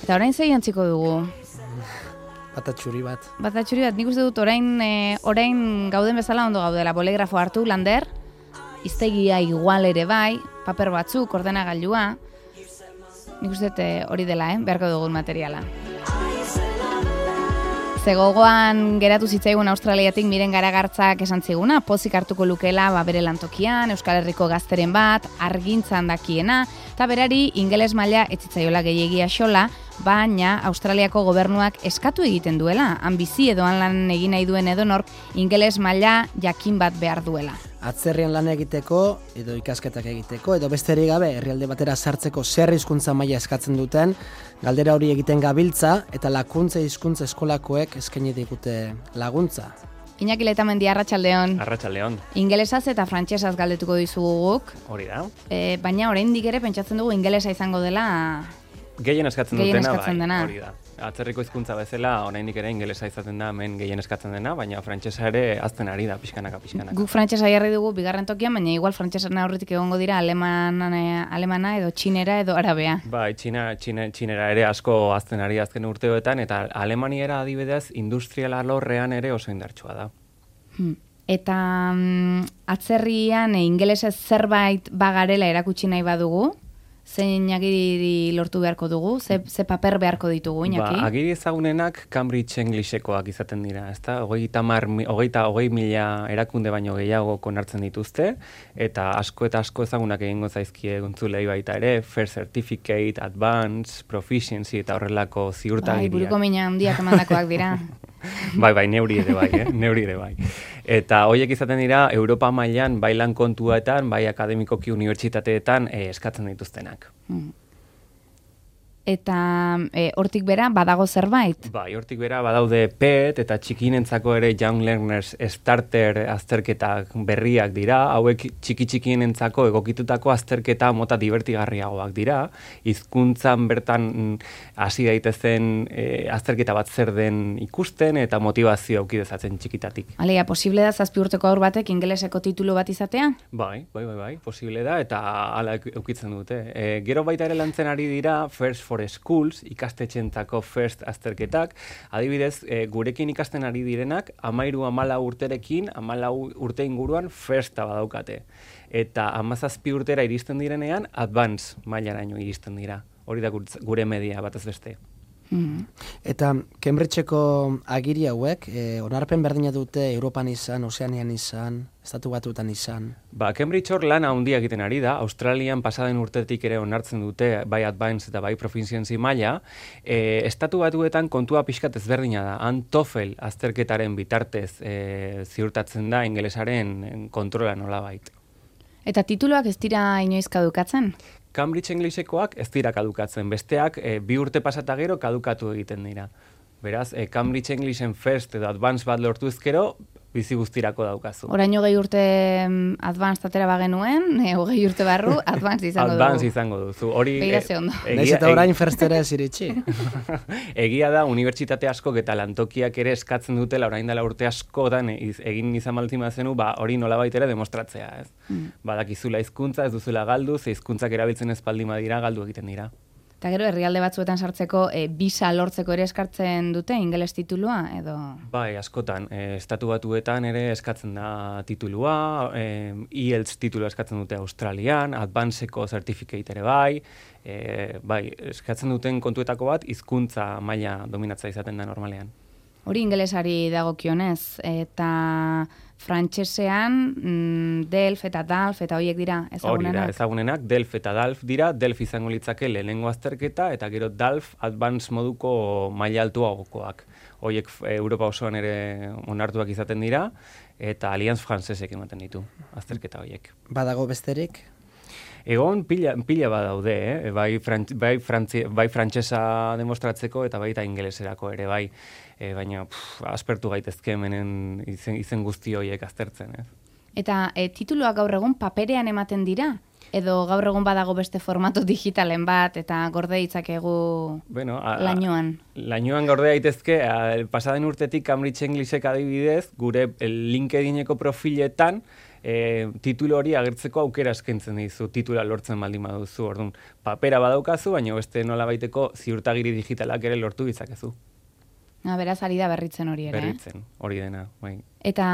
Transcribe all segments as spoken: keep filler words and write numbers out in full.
Eta orain zei jantziko dugu? Batatxuri bat. Batatxuri bat, nik uste dut orain, e, orain gauden bezala ondo gaudela. Bolegrafo hartu, lander, iztegia igual ere bai, paper batzuk, ordenagailua. Nik uste dut hori dela, eh? Beharko dugun materiala. Zegogoan geratu zitzaigun Australiatik Miren Garagartzak esan ziguna, pozik hartuko lukela ba, bere lantokian, Euskal Herriko gazteren bat, argintzan dakiena, eta berari ingeles maila ez zitzaiola gehiagia xola, baina Australiako gobernuak eskatu egiten duela, han bizi edo han lan egin nahi duen edonork ingeles maila jakin bat behar duela. Atzerrian lan egiteko, edo ikasketak egiteko, edo besterik gabe herrialde batera sartzeko zer hizkuntza maila eskatzen duten, galdera hori egiten gabiltza, eta lakuntza hizkuntza eskolakoek eskaini digute laguntza. Iñaki Letamendi, arratsaldeon. Arratsaldeon. Ingelesaz eta frantsesaz galdetuko dizugu guk. Hori da. E, baina oraindik ere pentsatzen dugu ingelesa izango dela gehien eskatzen gehien dutena, eskatzen bai, dena. hori da. Atzerriko hizkuntza bezala oraindik ere ingelesa izaten da hemen gehien eskatzen dena, baina frantsesa ere hazten ari da pixkanaka pixkanaka. Guk frantsesa jarri dugu bigarren tokian, baina igual frantsesaren aurretik egongo dira alemana, alemana edo txinera edo arabea. Bai, txina, txine, txinera ere asko hazten ari azken urteoetan, eta alemaniera adibidez industrial alorrean ere oso indartsua da. Hmm. Eta mm, atzerrian e, ingelesez zerbait bagarela erakutsi nahi badugu, zein agiri lortu beharko dugu? Ze, ze paper beharko ditugu, Iñaki? Ba, agiri ezagunenak Cambridge Englishekoak izaten dira, ezta? Hogeita mar, hogeita hogei mila erakunde baino gehiago konartzen dituzte, eta asko eta asko ezagunak egingo zaizkie gontzulei baita ere, First Certificate, Advanced, Proficiency eta horrelako ziurtagiriak. Bai, buruko mina handiak emandakoak dira. Bai, bai, neuri ere bai, eh? neuri ere bai. Eta horiek izaten dira Europa mailan bai lan kontuetan, bai akademikoki unibertsitateetan eh, eskatzen dituztenak. Mm. Eta e, hortik bera badago zerbait? Bai, hortik bera badaude P E T eta txikinentzako ere Young Learners Starter azterketak berriak dira, hauek txiki-txikienentzako egokitutako azterketa mota divertigarriagoak dira, hizkuntzan bertan hasi daitezen e, azterketa bat zer den ikusten eta motivazio auki dezatzen txikitatik. Alegia, posible da zazpi urteko aur batek ingeleseko titulu bat izatea? Bai, bai, bai, bai, posible da eta hala eukitzen dute. E, gero baita ere lantzen ari dira First for Schools, ikastetxentzako first azterketak, adibidez, e, gurekin ikasten ari direnak, amairu amala urterekin, amala urte inguruan firsta badaukate. Eta amazazpi urtera iristen direnean, advance mailaraino iristen dira. Hori da gure media batez beste. Mm-hmm. Eta Cambridgeko agiri hauek, e, onarpen berdina dute Europan izan, Ozeanian izan, Estatu Batuetan izan. Ba, Cambridge hor lan handia egiten ari da, Australian pasaden urtetik ere onartzen dute bai Advanced eta bai Proficiency maila, e, Estatu Batuetan kontua pixkat ezberdina da, han TOEFL azterketaren bitartez e, ziurtatzen da ingelesaren kontrola nolabait. Eta tituluak ez dira inoiz kadukatzen? Cambridge Englishekoak ez dira kadukatzen, besteak e, bi urte pasata gero kadukatu egiten dira. Beraz, e, Cambridge Englishen First edo Advanced bat lortu ezkero, bizi guztirako daukazu. Orain hogei urte advanced atera bagenuen, e, hogei urte barru advanced izango dugu. Advanced izango duzu. Hori Beiraze ondo. Naiz eta orain firstera ez iritsi. Egia da, unibertsitate askok eta lantokiak ere eskatzen dutela orain dela urte askotan egin izan maltzima zenu, ba, hori nolabait ere demostratzea, ez? Mm. Badakizula hizkuntza, ez duzula galdu, ze hizkuntzak erabiltzen ez baldin badira, galdu egiten dira. Eta gero, herrialde batzuetan sartzeko e, bisa lortzeko ere eskartzen dute ingeles titulua, edo? Bai, askotan. E, Estatu Batuetan ere eskatzen da titulua, e, I E L T S titulua eskatzen dute Australian, Advancedeko certificate ere bai, e, bai, eskatzen duten kontuetako bat, hizkuntza maila dominatza izaten da normalean. Hori ingelesari dagokionez, eta frantsesean mm, Delf eta Dalf eta horiek dira ezagunenak. Hori da, ezagunenak, Delf eta Dalf dira, Delf izango litzake lehenengo azterketa, eta gero Dalf Advanced moduko maila altuagokoak. Horiek Europa osoan ere onartuak izaten dira, eta Allianz Francesek ematen ditu azterketa horiek. Badago besterik? Egon pila, pila badaude, eh? bai, frant, bai, frantzi, bai frantsesa demostratzeko eta baita ingeleserako ere bai, e, baina pff, aspertu gaitezke hemenen izen, izen guzti horiek aztertzen. Ez? Eta e, tituluak gaur egun paperean ematen dira? Edo gaur egun badago beste formato digitalen bat eta gorde ditzakegu bueno, a, lainoan? Lainoan gorde daitezke, pasaden urtetik Cambridge Englishek adibidez, gure LinkedIneko profiletan e, titulu hori agertzeko aukera eskaintzen dizu, titula lortzen baldin baduzu, orduan, papera badaukazu, baina beste nolabaiteko ziurtagiri digitalak ere lortu ditzakezu. Ha, beraz, ari da berritzen hori ere. Berritzen, hori dena, bai. Eta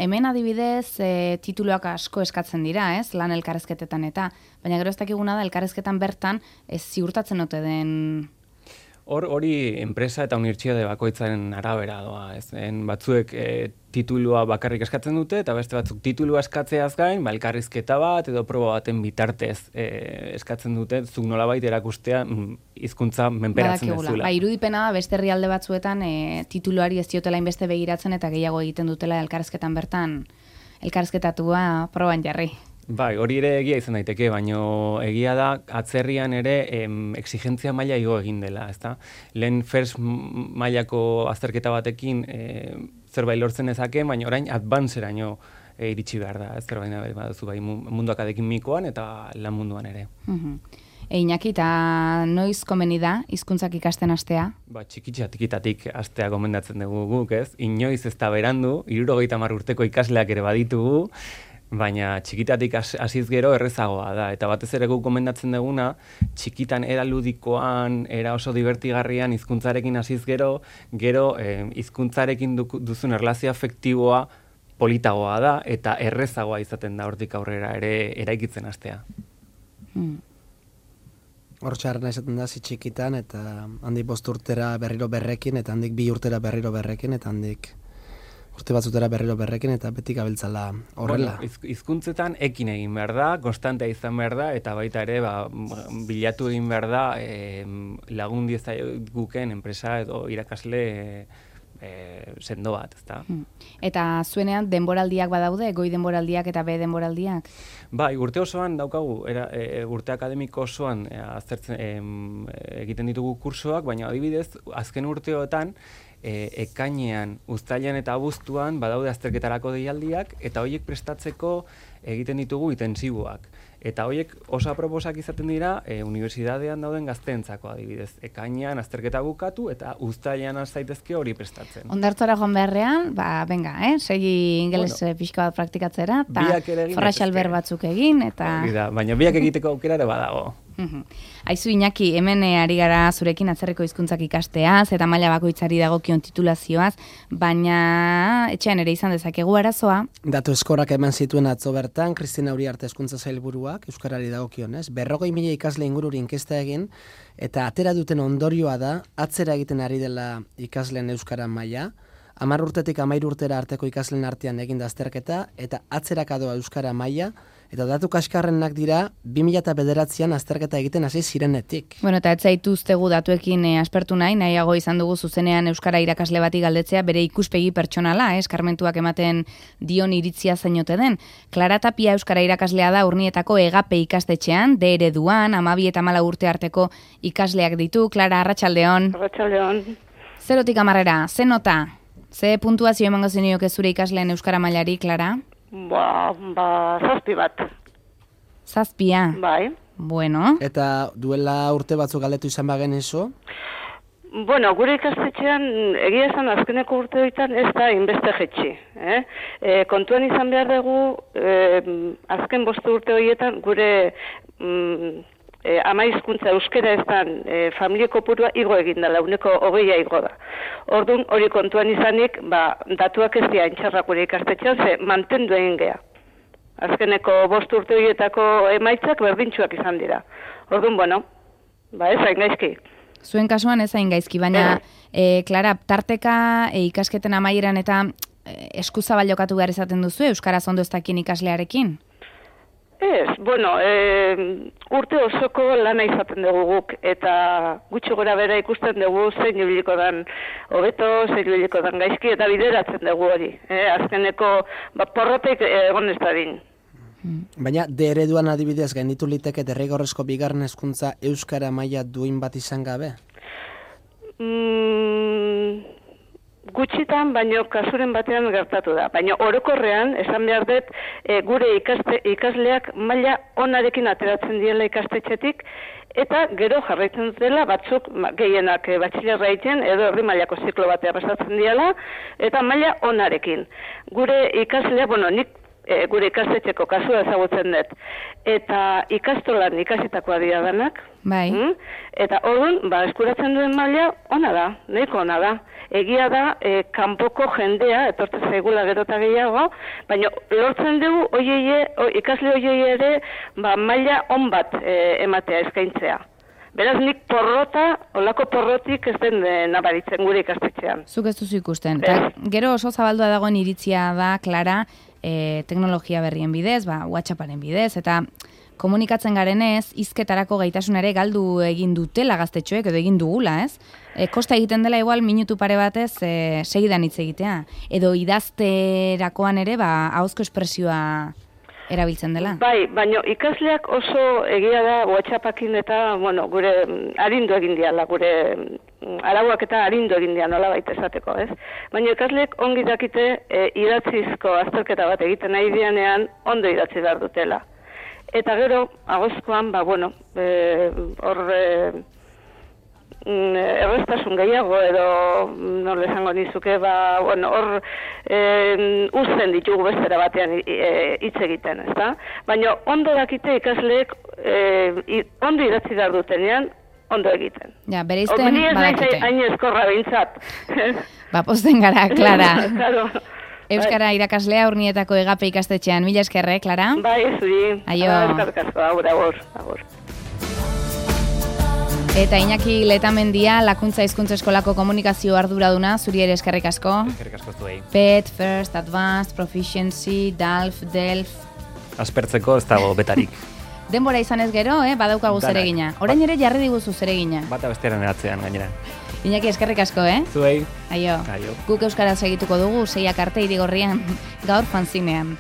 hemen adibidez e, tituluak asko eskatzen dira, ez? Lan elkarrezketetan eta, baina gero ez dakiguna da elkarrezketan bertan ez ziurtatzen ote den... Hor hori enpresa eta unibertsitate bakoitzaren arabera doa, ez? En batzuek e, titulua bakarrik eskatzen dute eta beste batzuk titulua eskatzeaz gain, ba elkarrizketa bat edo proba baten bitartez e, eskatzen dute, zuk nolabait erakustea hizkuntza menperatzen dezula. Ba, irudipena da beste herrialde batzuetan e, tituluari ez diotela inbeste begiratzen eta gehiago egiten dutela elkarrizketan bertan elkarrizketatua proban jarri. Bai, hori ere egia izan daiteke, baino egia da atzerrian ere em, exigentzia maila igo egin dela, ezta? Lehen first mailako azterketa batekin e, zerbait lortzen ezake, baina orain advanceraino e, iritsi behar da, ez zerbait baduzu bai mundu akademikoan eta lan munduan ere. Mhm. E, Iñaki, eta noiz komeni da hizkuntzak ikasten hastea? Ba, txikitzatikitatik hastea gomendatzen dugu guk, ez? Inoiz ez da berandu, hirurogeita hamar urteko ikasleak ere baditugu, baina txikitatik hasiz gero errezagoa da, eta batez ere guk gomendatzen duguna, txikitan era ludikoan, era oso divertigarrian hizkuntzarekin hasiz gero, gero eh, hizkuntzarekin duzun erlazio afektiboa politagoa da, eta errezagoa izaten da hortik aurrera ere eraikitzen hastea. Hmm. Hor txarrena izaten da, zi txikitan, eta handik bost urtera berriro berrekin, eta handik bi urtera berriro berrekin, eta handik urte batzutera berriro berrekin, eta beti gabiltzala horrela. Bueno, hizkuntzetan ekin egin behar da, konstantea izan behar da, eta baita ere ba, bilatu egin behar da e, lagun diezaguken enpresa edo irakasle e, sendo bat, ezta? Hmm. Eta zuenean denboraldiak badaude, goi denboraldiak eta be denboraldiak? Bai, urte osoan daukagu, era, e, urte akademiko osoan e, aztertzen e, egiten ditugu kursoak, baina adibidez, azken urteotan, E, ekainean, uztailean eta abuztuan badaude azterketarako deialdiak eta horiek prestatzeko egiten ditugu intentsiboak. Eta horiek oso aproposak izaten dira e, unibertsitatean dauden gazteentzako adibidez. Ekainean azterketa bukatu eta uztailean zaitezke hori prestatzen. Ondartzara joan beharrean, ba, venga, eh? Segi ingeles bueno, pixka bat praktikatzera, eta forraxalber batzuk egin, eta... Da, baina biak egiteko aukera ere badago. Aizu Iñaki, hemen ari gara zurekin atzerriko hizkuntzak ikasteaz eta maila bakoitzari dagokion titulazioaz, baina etxean ere izan dezakegu arazoa. Datu eskorak eman zituen atzo bertan, Kristina Uriarte hezkuntza sailburuak euskarari dagokionez, berrogei mila ikasle ingururi inkesta egin, eta atera duten ondorioa da, atzera egiten ari dela ikasleen euskara maila, hamar urtetik hamairu urtera arteko ikasleen artean egin da azterketa, eta atzerakadoa euskara maila, eta datu kaskarrenak dira, bi mila bederatzian azterketa egiten hasi zirenetik. Bueno, eta ez zaituztegu datuekin eh, aspertu nahi, nahiago izan dugu zuzenean euskara irakasle bati galdetzea bere ikuspegi pertsonala, eh, eskarmentuak ematen dion iritzia zainote den. Klara Tapia euskara irakaslea da Urnietako Egape ikastetxean, de ereduan, amabi eta mala urte arteko ikasleak ditu. Klara, arratsaldeon. Arratsaldeon. Zerotik hamarrera, ze nota? Ze puntuazio emango zenioke zure ikasleen euskara mailari, Klara? Ba, ba, zazpi bat. Zazpia? Bai. Bueno. Eta duela urte batzuk galdetu izan bagen eso? Bueno, gure ikastetxean, egia esan azkeneko urte horietan ez da inbeste jetxi. Eh? E, kontuan izan behar dugu, e, azken bostu urte horietan gure mm, e, ama hizkuntza euskera ez da e, familia kopurua igo egin dela, uneko hogeia igo da. Orduan, hori kontuan izanik, ba, datuak ez dira intxarrak gure ikastetxean, ze mantendu egin geha. Azkeneko bost urte horietako emaitzak berdintxuak izan dira. Orduan, bueno, ba ez hain gaizki. Zuen kasuan ez hain gaizki, baina, e, Klara, tarteka e, ikasketen amaieran eta e, eskuzabal jokatu behar izaten duzu, euskaraz ondo ez dakien ikaslearekin? Ez, bueno, e, urte osoko lana izaten dugu guk, eta gutxi gora bera ikusten dugu zein ibiliko dan hobeto, zein ibiliko dan gaizki, eta bideratzen dugu hori. E, azkeneko ba, porrotek egon ez dadin. Baina, de ereduan adibidez gainditu liteke derrigorrezko bigarren hezkuntza euskara maila duin bat izan gabe? Mm, gutxitan, baino kasuren batean gertatu da. Baina orokorrean, esan behar dut, e, gure ikaste, ikasleak maila onarekin ateratzen diela ikastetxetik, eta gero jarraitzen dela batzuk gehienak e, batxilerra egiten edo herri mailako ziklo batea pasatzen diela, eta maila onarekin. Gure ikasleak, bueno, nik e, gure ikastetxeko kasua ezagutzen dut. Eta ikastolan ikasitakoa dira danak. Bai. Mm? Eta orduan, ba, eskuratzen duen maila ona da, nahiko ona da. Egia da, e, kanpoko jendea, etortzen zaigula gero eta gehiago, baina lortzen dugu oieie, o, ikasle oiei ere ba, maila on bat e, ematea eskaintzea. Beraz, nik porrota, olako porrotik ez den e, nabaritzen gure ikastetxean. Zuk ez duzu ikusten. Ta, gero oso zabaldua dagoen iritzia da, Klara, e, teknologia berrien bidez, ba, WhatsApparen bidez, eta komunikatzen garenez, hizketarako gaitasunare galdu egin dutela gaztetxoek, edo egin dugula, ez? E, kosta egiten dela igual minutu pare batez e, segidan hitz egitea. Edo idazterakoan ere, ba, ahozko espresioa erabiltzen dela. Bai, baina ikasleak oso egia da WhatsAppakin eta, bueno, gure arindu egin diala, gure arauak eta arindu egin diala, nola baita esateko, ez? Baina ikasleek ongi dakite e, idatzizko azterketa bat egiten nahi dianean ondo idatzi behar dutela. Eta gero, agozkoan, ba, bueno, hor e, e, erreztasun gehiago edo, nola esango nizuke, ba, bueno, hor e, uzten ditugu bestera batean hitz e, egiten, ez da? Baina ondo dakite ikasleek e, ondo idatzi behar dutenean, ondo egiten. Ja, bere izten badakite. Ni ez nahi hain eskorra behintzat. Ba, posten gara, Klara. Claro. Euskara irakaslea Urnietako Egape ikastetxean. Mila eskerre, Klara? Bai, zuri. Aio. Eskarkasko, agur, agur, agur. Eta Iñaki Letamendia, Lakuntza Hizkuntza Eskolako komunikazio arduraduna, zuri ere eskerrik asko. Eskerrik asko zuei. P E T, First, Advanced, Proficiency, D A L F, D E L F. Aspertzeko ez dago betarik. Denbora izanez gero, eh, badaukagu zeregina. Orain ere jarri diguzu zeregina. Bata bestearen eratzean gainera. Iñaki, eskerrik asko, eh? Zuei. Aio. Aio. Guk euskaraz egituko dugu, seiak arte Irigorrian, gaur fanzinean.